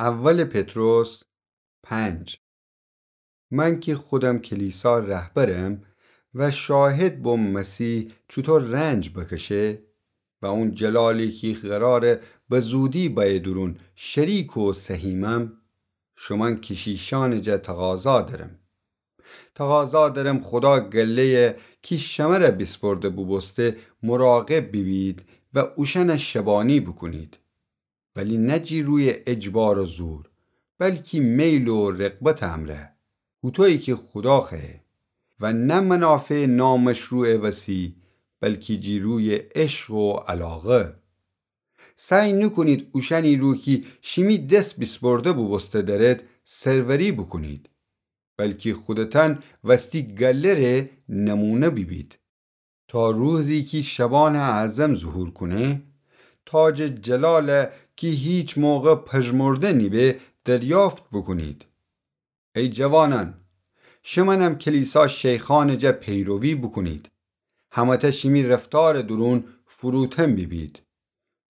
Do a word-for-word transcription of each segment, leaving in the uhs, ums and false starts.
اول پطرس پنج. من کی خودم کلیسا رهبرم و شاهد بوم مسیح چوطو رنج بکشه و اون جلالی کی قراره به زودی بأیه دورون شریک و سهیمم، شومأن کشیشأنٚ جا تقاضا درم. تقاضا درم خودا گله‌یه کی شمره بیسپرده بوبوسته مراقب بیبید و اوشأنه شبانی بوکونید، ولی نه جی روی اجبار و زور، بلکی میل و رغبتٚ امرأ، هوطویی کی خودا خوأیه، و نه منافعٚ نامشروعٚ وسی، بلکی جی روی عشق و علاقه. سعی نوکونید اوشأنی رو کی شیمی دس بیسپرده بوبوسته دأرید سروری بوکونید، بلکی خودتأن وستی گله ره نمونه بیبید، تا روزی کی شبانٚ اعظم ظهور کونه، تاجٚ جلاله کی هیچ موقع پژمرده نیبه دریافت بوکونید. ای جوانأن، شمأنم کلیسا شیخأنٚ جا پیروی بوکونید. همه‌تأ شیمی رفتارٚ دورون فروتن بیبید.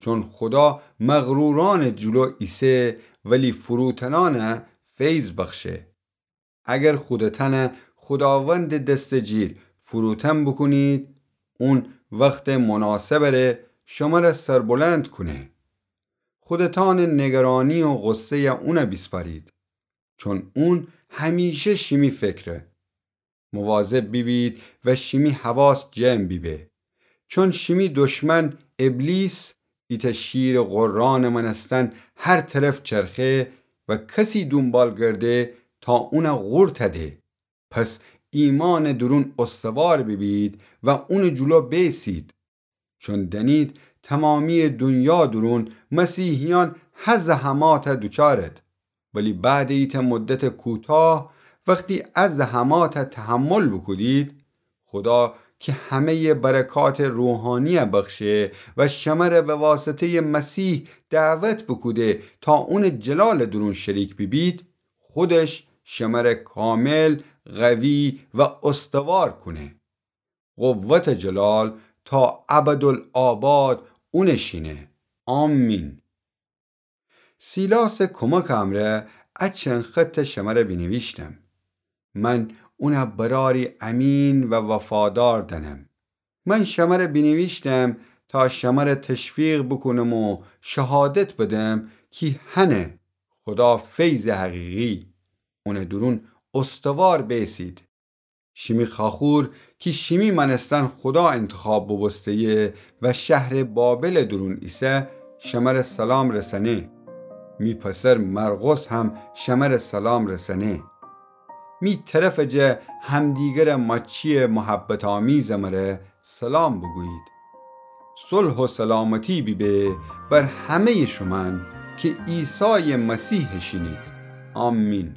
چون خودا مغرورأنٚ جلو ایسه، ولی فروتنأنه فیض بخشه. اگر خودتأنه خوداوندٚ دستٚ جیر فروتن بوکونید، اون وختٚ مناسبٚ ره شمره سربلند کونه. خودتأنٚ نگرانی و غصه‌یه اونه بیسپارید، چون اون همیشه شیمی فکره. مواظب بیبید و شیمی حواس جمع بیبه، چون شیمی دشمن ابلیس ایتأ شیرٚ غرانٚ مأنستن هر طرف چرخه و کسی دونبال گرده تا اونه قورت ده. پس ایمأنٚ دورون استوار بیبید و اونٚ جلو بیسید. چون دأنید تمامییٚ دونیا دورون مسیحیأن هه زحمات دوچارد، ولی بعدٚ ایتأ مدتٚ کوتاه وختی ا زحمات تحمل بوکودید، خودا کی همه‌یٚ برکاتٚ روحانیی بخشه و شمره به واسطه‌یٚ مسیح دعوت بوکوده تا اونٚ جلالٚ دورون شریک بیبید، خودش شمره کامل، قوی و استوار کونه. قوتٚ جلال تا ابدالآباد اونٚ شینه. آمین. سیلاسٚ کمکٚ امرأ ا چند خط شمره بینیویشتم. من اونه برأری امین و وفادار دأنم. من شمره بینیویشتم تا شمره تشویق بوکونم و شهادت بدم کی هنه خودا فیضٚ حقیقی، اونٚ دورون استوار بیسید. شیمی خواخور کی شیمی مأنستن خودا انتخاب بوبوسته‌یه و شهرٚ بابلٚ دورون ایسه، شمره سلام رسأنه. می پسر مرقس هم شمره سلام رسأنه. می طرفٚ جا همدیگره ماچییٚ محبت‌آمیزٚ مره سلام بوگویید. صلح و سلامتی بیبه بر همه‌یٚ شومأن کی عیسایٚ مسیحٚ شینید. آمین.